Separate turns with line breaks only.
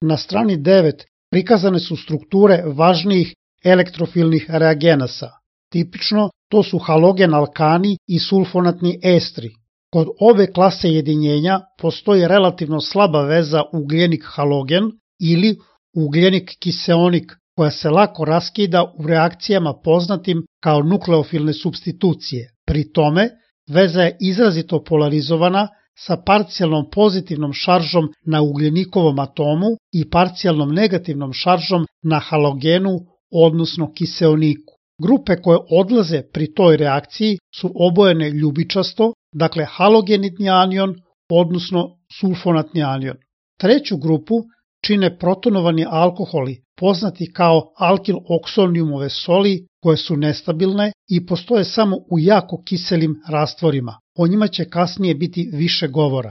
Na strani 9 prikazane su strukture važnijih elektrofilnih reagenasa. Tipično to su halogen alkani i sulfonatni estri. Kod ove klase jedinjenja postoji relativno slaba veza ugljenik-halogen ili ugljenik-kiseonik koja se lako raskida u reakcijama poznatim kao nukleofilne supstitucije. Pri tome, veza je izrazito polarizovana sa parcijalnom pozitivnom šaržom na ugljenikovom atomu i parcijalnom negativnom šaržom na halogenu, odnosno kiseoniku. Grupe koje odlaze pri toj reakciji su obojene ljubičasto, dakle halogenitni anion, odnosno sulfonatni anion. Treću grupu čine protonovani alkoholi, poznati kao alkil-oksolnijumove soli, koje su nestabilne i postoje samo u jako kiselim rastvorima. O njima će kasnije biti više govora.